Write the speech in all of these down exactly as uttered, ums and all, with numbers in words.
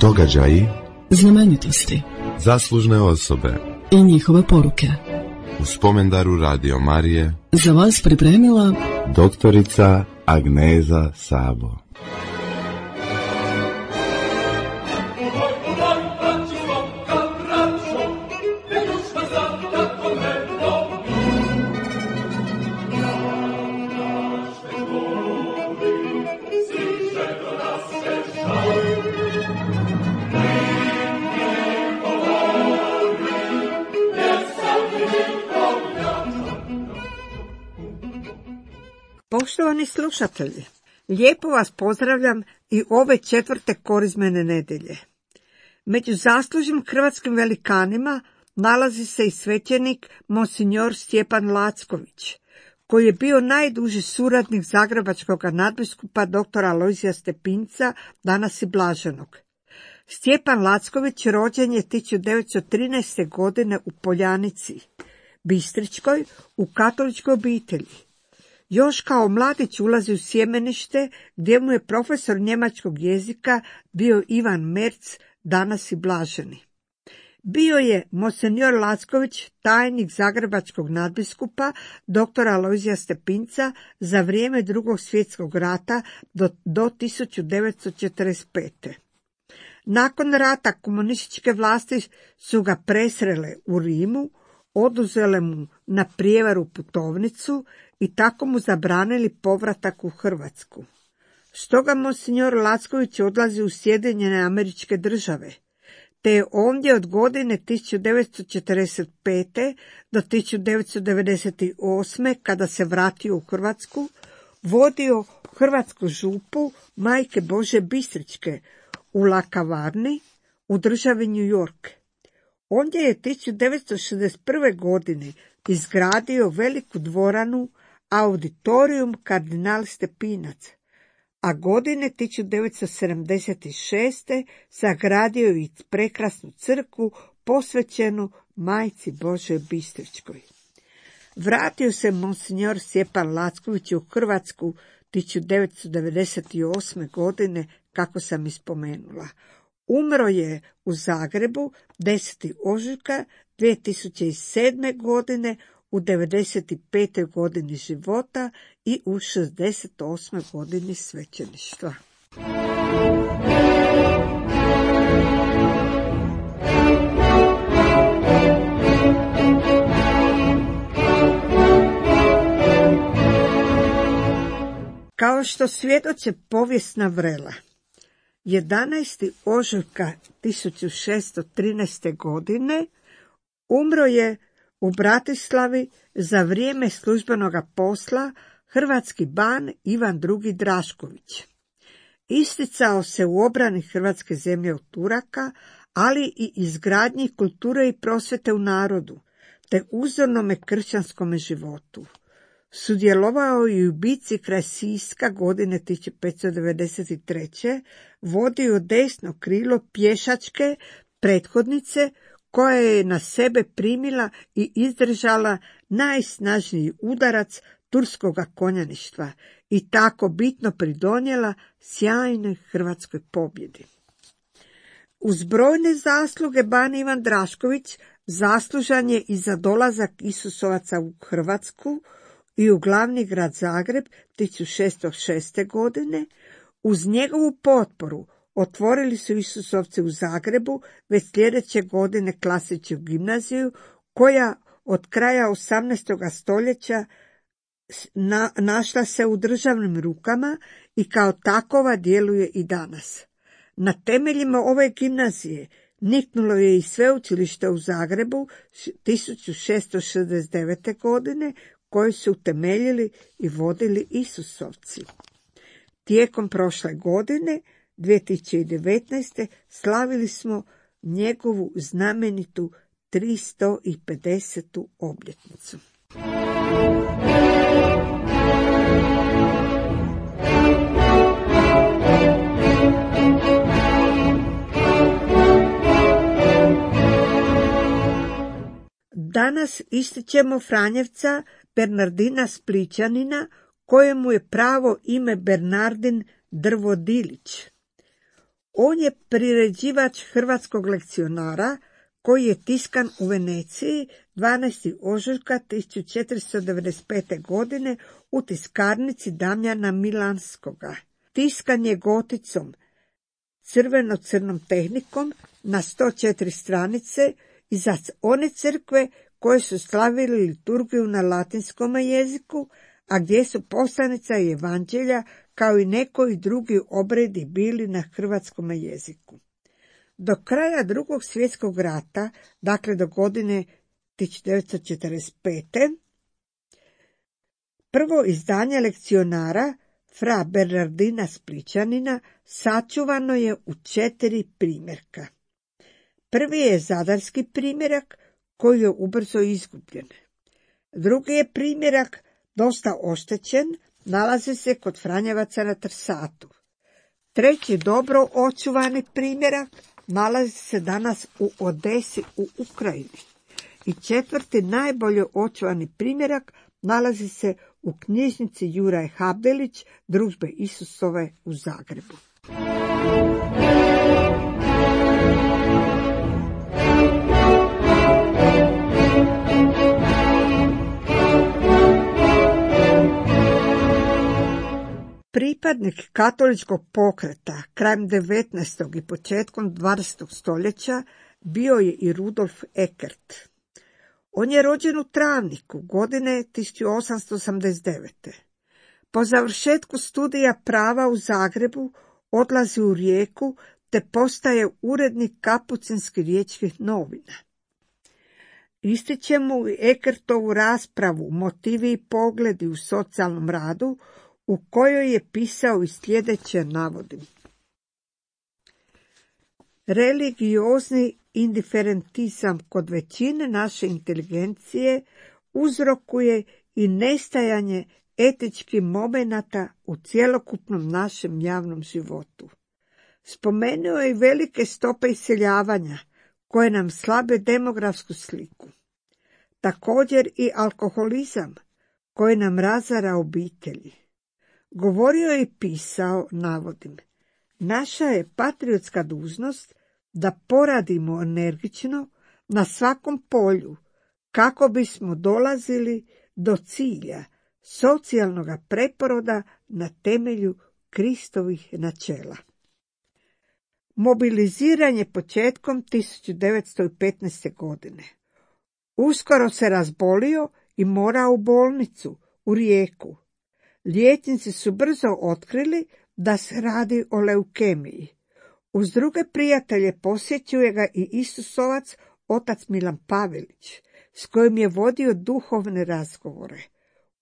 Događaji, znamenitosti, zaslužne osobe i njihove poruke. U spomendaru Radio Marije Za vas pripremila doktorica Agneza Sabo. Poštovani slušatelji, lijepo vas pozdravljam i ove četvrte korizmene nedjelje. Među zaslužnim hrvatskim velikanima nalazi se i svećenik monsignor Stjepan Lacković, koji je bio najduži suradnik zagrebačkog nadbiskupa doktora Alojzija Stepinca, danas i blaženog. Stjepan Lacković rođen je tisuću devetsto trinaeste. godine u Poljanici, Bistričkoj, u katoličkoj obitelji. Još kao mladić ulazi u sjemenište, gdje mu je profesor njemačkog jezika bio Ivan Merc, danas i blaženi. Bio je monsignor Lacković tajnik zagrebačkog nadbiskupa doktora Alojzija Stepinca za vrijeme Drugog svjetskog rata do, do tisuću devetsto četrdeset pete. Nakon rata komunističke vlasti su ga presrele u Rimu, oduzele mu na prijevaru putovnicu i tako mu zabranili povratak u Hrvatsku. Stoga monsignor Lacković odlazi u Sjedinjene Američke Države, te je ovdje od godine tisuću devetsto četrdeset pete. do tisuću devetsto devedeset osme. kada se vratio u Hrvatsku, vodio hrvatsku župu Majke Božje Bistričke u Lakavarni u državi New York. Ondje je tisuću devetsto šezdeset prve. godine izgradio veliku dvoranu Auditorium kardinal Stepinac, a godine tisuću devetsto sedamdeset šeste. sagradio i prekrasnu crkvu posvećenu Majci Božjoj Bistričkoj. Vratio se monsignor Stjepan Lacković u Hrvatsku tisuću devetsto devedeset osme. godine, kako sam ispomenula. Umro je u Zagrebu desetog ožujka dvije tisuće sedme. godine u devedeset petoj. godini života i u šezdeset osmoj. godini svećeništva. Kao što svjedoče povijesna vrela, jedanaestog ožujka tisuću šesto trinaeste. godine umro je u Bratislavi za vrijeme službenoga posla hrvatski ban Ivan drugi. Drašković. Isticao se u obrani hrvatske zemlje od Turaka, ali i izgradnji kulture i prosvete u narodu, te uzornome kršćanskome životu. Sudjelovao je u bitci kraj Siska godine tisuću petsto devedeset treće. vodio desno krilo pješačke prethodnice koja je na sebe primila i izdržala najsnažniji udarac turskoga konjaništva i tako bitno pridonijela sjajnoj hrvatskoj pobjedi. Uz brojne zasluge ban Ivan Drašković zaslužan je i za dolazak Isusovaca u Hrvatsku i u glavni grad Zagreb tisuću šesto šeste. godine. Uz njegovu potporu otvorili su Isusovci u Zagrebu već sljedeće godine klasičnu gimnaziju, koja od kraja osamnaestog. stoljeća na, našla se u državnim rukama i kao takova djeluje i danas. Na temeljima ove gimnazije niknulo je i sveučilište u Zagrebu tisuću šesto šezdeset devete. godine, koje su utemeljili i vodili Isusovci. Tijekom prošle godine, dvije tisuće devetnaeste. slavili smo njegovu znamenitu tristo pedesetu. obljetnicu. Danas ističemo Franjevca Bernardina Splićanina, kojemu je pravo ime Bernardin Drvodilić. On je priređivač hrvatskog lekcionara koji je tiskan u Veneciji dvanaestog ožujka tisuću četiristo devedeset pete. godine u tiskarnici Damjana Milanskoga. Tiskan je goticom, crveno-crnom tehnikom na sto četiri stranice i za one crkve koje su slavili liturgiju na latinskom jeziku, a gdje su poslanica i evanđelja kao i nekoji drugi obredi bili na hrvatskom jeziku. Do kraja Drugog svjetskog rata, dakle do godine tisuću devetsto četrdeset pete. prvo izdanje lekcionara fra Bernardina Splićanina sačuvano je u četiri primjerka. Prvi je zadarski primjerak koji je ubrzo izgubljen. Drugi je primjerak dosta oštećen, nalazi se kod Franjevaca na Trsatu. Treći dobro očuvani primjerak nalazi se danas u Odesi u Ukrajini. I četvrti najbolje očuvani primjerak nalazi se u knjižnici Juraj Habdelić Družbe Isusove u Zagrebu. Pripadnik katoličkog pokreta krajem devetnaestog i početkom dvadesetog stoljeća bio je i Rudolf Eckert. On je rođen u Travniku godine tisuću osamsto osamdeset devete. Po završetku studija prava u Zagrebu odlazi u Rijeku te postaje urednik Kapucinskih riječkih novina. Ističe mu i Eckertovu raspravu Motivi i pogledi u socijalnom radu, u kojoj je pisao i sljedeće navodim. Religiozni indiferentizam kod većine naše inteligencije uzrokuje i nestajanje etičkih momenata u cjelokupnom našem javnom životu. Spomenuo je i velike stope iseljavanja koje nam slabe demografsku sliku. Također i alkoholizam koji nam razara obitelji. Govorio je i pisao, navodim, naša je patriotska dužnost da poradimo energično na svakom polju kako bismo dolazili do cilja socijalnog preporoda na temelju Kristovih načela. Mobiliziran je početkom tisuću devetsto petnaeste. godine. Uskoro se razbolio i morao u bolnicu, u Rijeku. Liječnici su brzo otkrili da se radi o leukemiji. Uz druge prijatelje posjećuje ga i Isusovac, otac Milan Pavelić, s kojim je vodio duhovne razgovore.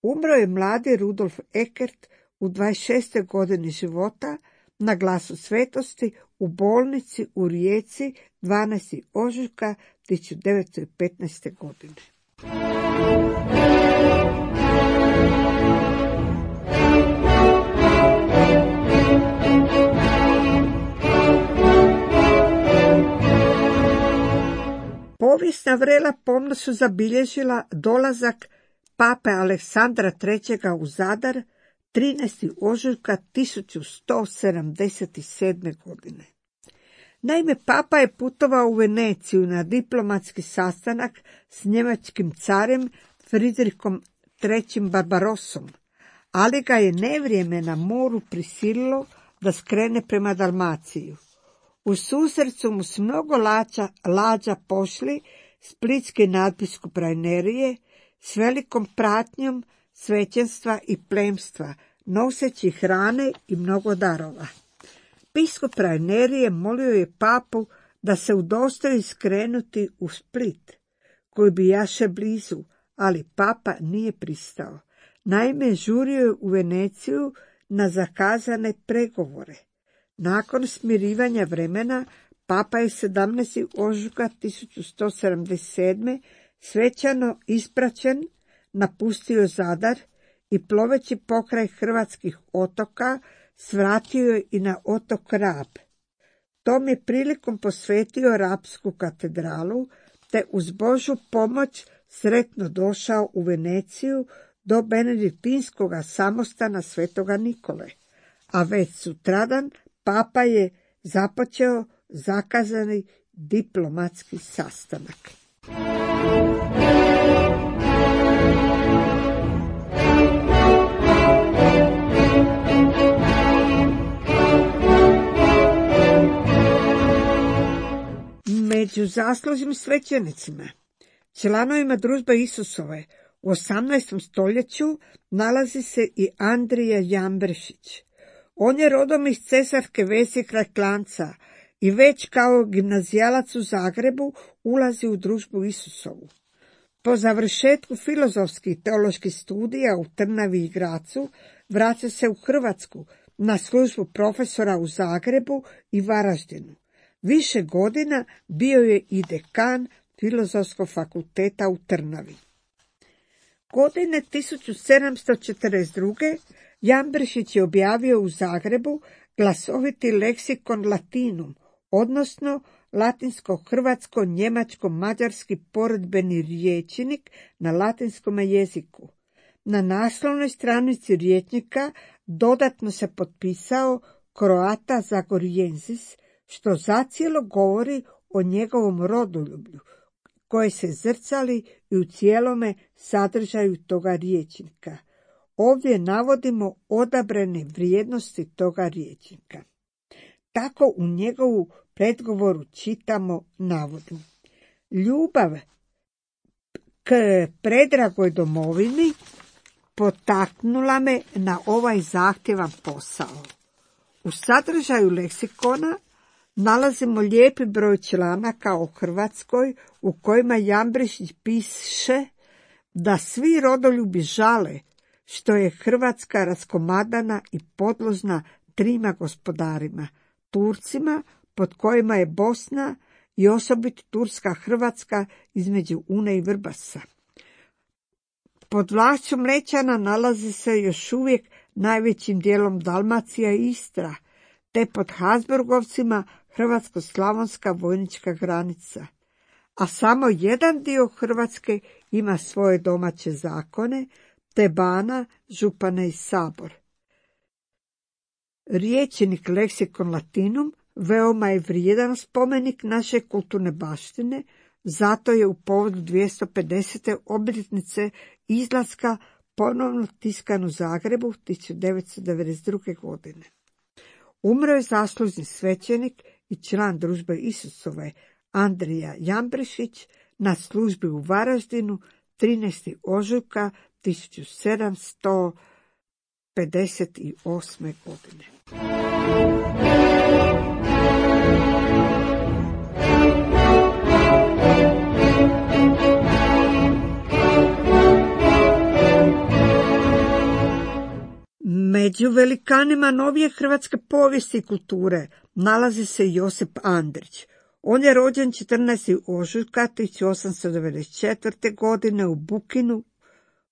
Umro je mladi Rudolf Eckert u dvadeset šestoj godini života na Glasu svetosti u bolnici u Rijeci dvanaestog ožujka tisuću devetsto petnaeste. godine. Povijesna vrela pomno su zabilježila dolazak pape Aleksandra trećega u Zadar trinaestog ožujka tisuću sto sedamdeset sedme. godine. Naime, papa je putovao u Veneciju na diplomatski sastanak s njemačkim carem Fridrichom trećim Barbarosom, ali ga je nevrijeme na moru prisililo da skrene prema Dalmaciju. U susret su mu s mnogo lađa, lađa pošli splitski nadbiskup Rajnerije s velikom pratnjom svećenstva i plemstva, noseći hrane i mnogo darova. Biskup Rajnerije molio je papu da se udostoji skrenuti u Split, koji bi jaše blizu, ali papa nije pristao. Naime, žurio je u Veneciju na zakazane pregovore. Nakon smirivanja vremena, papa je sedamnaestog ožujka tisuću sto sedamdeset sedme. svečano ispraćen napustio Zadar i ploveći pokraj hrvatskih otoka svratio je i na otok Rab. Tom je prilikom posvetio Rapsku katedralu, te uz Božju pomoć sretno došao u Veneciju do benediktinskoga samostana svetoga Nikole, a već sutradan papa je započeo zakazani diplomatski sastanak. Među zaslužnim svećenicima, članovima Družbe Isusove, u osamnaestom stoljeću nalazi se i Andrija Jambrišić. On je rodom iz Cesarske Ves kraj Klanjca i već kao gimnazijalac u Zagrebu ulazi u Družbu Isusovu. Po završetku filozofskih i teoloških studija u Trnavi i Grazu vraća se u Hrvatsku na službu profesora u Zagrebu i Varaždinu. Više godina bio je i dekan Filozofskog fakulteta u Trnavi. Godine tisuću sedamsto četrdeset druge. Jambrišić je objavio u Zagrebu glasoviti leksikon latinum, odnosno latinsko-hrvatsko-njemačko-mađarski poredbeni rječnik na latinskom jeziku. Na naslovnoj stranici rječnika dodatno se potpisao Croata Zagoriensis, što zacijelo govori o njegovom rodoljublju, koje se zrcali i u cijelome sadržaju toga rječnika. Ovdje navodimo odabrane vrijednosti toga rječnika. Tako u njegovu predgovoru čitamo, navodim: ljubav k predragoj domovini potaknula me na ovaj zahtjevan posao. U sadržaju leksikona nalazimo lijepi broj članaka o Hrvatskoj u kojima Jambrišić piše da svi rodoljubi žale što je Hrvatska raskomadana i podložna trima gospodarima, Turcima, pod kojima je Bosna i osobito Turska Hrvatska između Une i Vrbasa. Pod vlašću Mlečana nalazi se još uvijek najvećim dijelom Dalmacija i Istra, te pod Habsburgovcima hrvatsko-slavonska vojnička granica. A samo jedan dio Hrvatske ima svoje domaće zakone, te Bana, župane i sabor. Rječnik leksikon latinum veoma je vrijedan spomenik naše kulturne baštine, zato je u povodu dvjesto pedesete obljetnice izlaska ponovno tiskan u Zagrebu tisuću devetsto devedeset druge. godine. Umro je zaslužni svećenik i član Družbe Isusove Andrija Jambrišić na službi u Varaždinu trinaestog ožujka tisuću sedamsto pedeset osme. godine. Među velikanima novije hrvatske povijesti i kulture nalazi se Josip Andrić. On je rođen četrnaestog ožujka tisuću osamsto devedeset četvrte. godine u Bukinu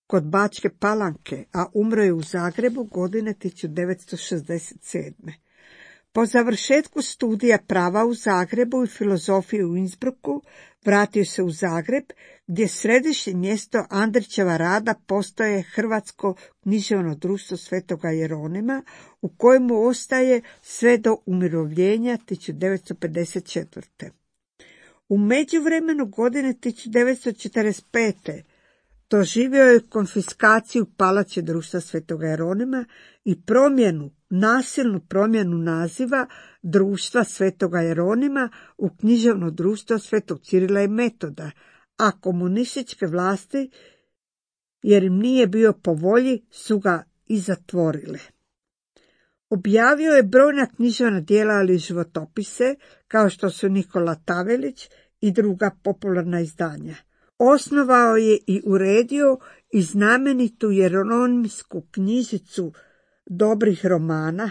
kod Bačke Palanke, a umro je u Zagrebu godine tisuću devetsto šezdeset sedme. Po završetku studija prava u Zagrebu i filozofije u Innsbrucku vratio se u Zagreb, gdje središnje mjesto Andrićeva rada postaje Hrvatsko književno društvo Svetoga Jeronima, u kojemu ostaje sve do umirovljenja tisuću devetsto pedeset četvrte. U međuvremenu godine tisuću devetsto četrdeset pete. doživio je konfiskaciju palače društva Svetoga Jeronima i promjenu, nasilnu promjenu naziva društva Svetoga Jeronima u književno društvo Svetog Cirila i Metoda, a komunističke vlasti, jer im nije bio po volji, su ga i zatvorile. Objavio je brojna književna djela, ali i životopise, kao što su Nikola Tavelić i druga popularna izdanja. Osnovao je i uredio i znamenitu jeronimsku knjižicu dobrih romana.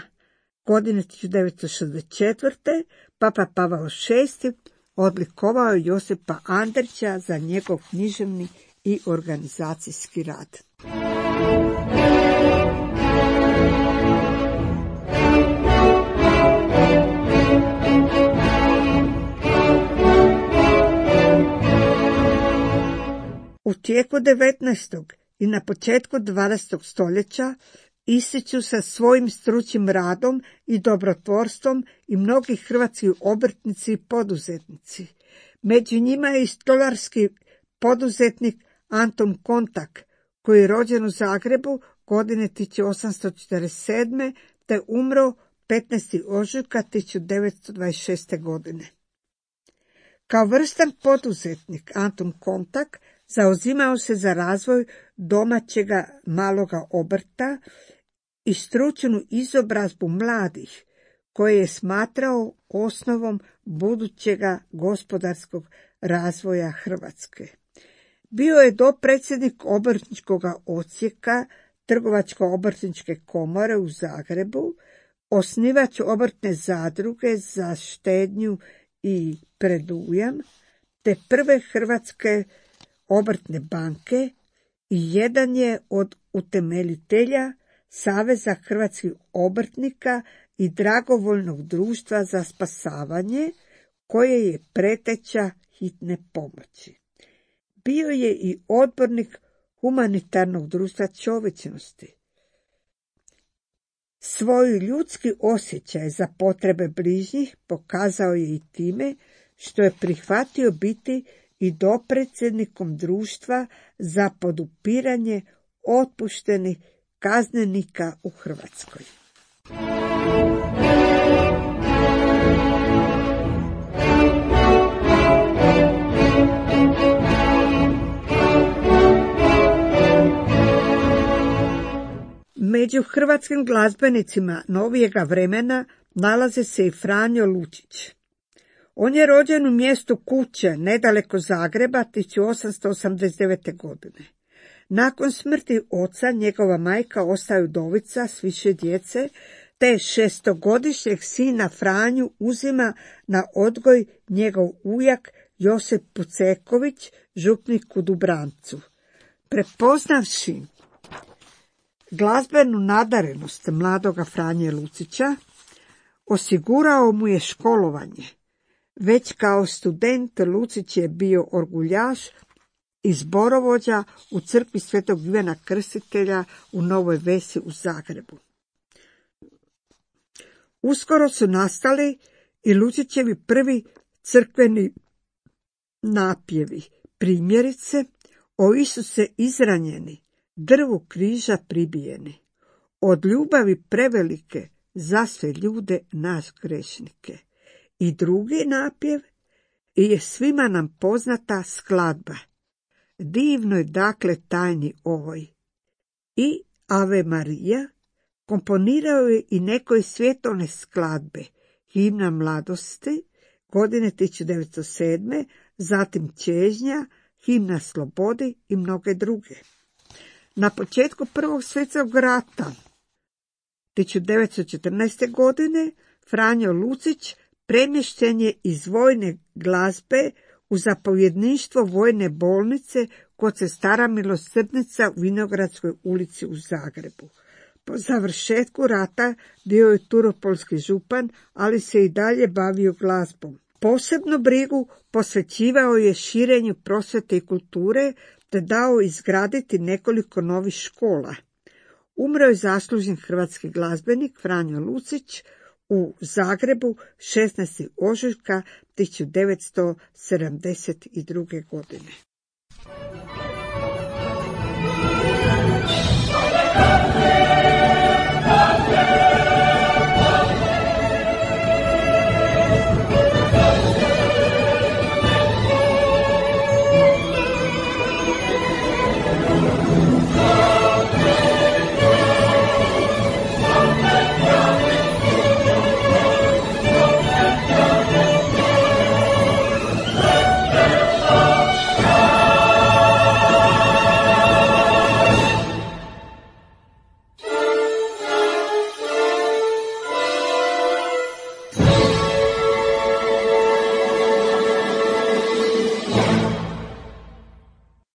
Godine tisuću devetsto šezdeset četvrte. Papa Pavao šesti. odlikovao je Josipa Andrića za njegov književni i organizacijski rad. U tijeku devetnaestog i na početku dvadesetog stoljeća ističu sa svojim stručnim radom i dobrotvorstvom i mnogi hrvatski obrtnici i poduzetnici. Među njima je i stolarski poduzetnik Anton Kontak, koji je rođen u Zagrebu godine tisuću osamsto četrdeset sedme te umro petnaestog ožujka tisuću devetsto dvadeset šeste. godine. Kao vrstan poduzetnik Anton Kontak zauzimao se za razvoj domaćega maloga obrta i stručnu izobrazbu mladih, koje je smatrao osnovom budućega gospodarskog razvoja Hrvatske. Bio je dopredsjednik obrtničkog odsjeka Trgovačko-obrtničke komore u Zagrebu, osnivač obrtne zadruge za štednju i predujam, te prve hrvatske obrtne banke i jedan je od utemeljitelja Saveza hrvatskih obrtnika i dragovoljnog društva za spasavanje, koje je preteča hitne pomoći. Bio je i odbornik humanitarnog društva čovječnosti. Svoj ljudski osjećaj za potrebe bližnjih pokazao je i time što je prihvatio biti i dopredsjednikom društva za podupiranje otpuštenih kaznenika u Hrvatskoj. Među hrvatskim glazbenicima novijega vremena nalazi se i Franjo Lucić. On je rođen u mjestu Kuće, nedaleko Zagreba, tisuću osamsto osamdeset devete. godine. Nakon smrti oca, njegova majka ostaje udovica s više djece, te šestogodišnjeg sina Franju uzima na odgoj njegov ujak Josip Puceković, župnik u Dubrancu. Prepoznavši glazbenu nadarenost mladoga Franje Lucića, osigurao mu je školovanje. Već kao student Lucić je bio orguljaš i zborovođa u crkvi Svetog Ivana Krstitelja u Novoj Vesi u Zagrebu. Uskoro su nastali i Lucićevi prvi crkveni napjevi, primjerice O Isuse izranjeni, drvu križa pribijeni, od ljubavi prevelike za sve ljude nas grešnike. I drugi napjev je svima nam poznata skladba, divnoj dakle tajni ovoj. I Ave Marija komponirao je i nekoj svjetovne skladbe, Himna mladosti, godine tisuću devetsto sedme, zatim Čežnja, Himna slobodi i mnoge druge. Na početku Prvog svjetskog rata, tisuću devetsto četrnaeste. godine, Franjo Lucić premješten je iz vojne glazbe u zapovjedništvo vojne bolnice kod sestara Milosrdnica u Vinogradskoj ulici u Zagrebu. Po završetku rata bio je turopolski župan, ali se i dalje bavio glazbom. Posebnu brigu posvećivao je širenju prosvjete i kulture, te dao izgraditi nekoliko novih škola. Umro je zaslužen hrvatski glazbenik Franjo Lucić u Zagrebu šesnaestog ožujka tisuću devetsto sedamdeset druge. godine.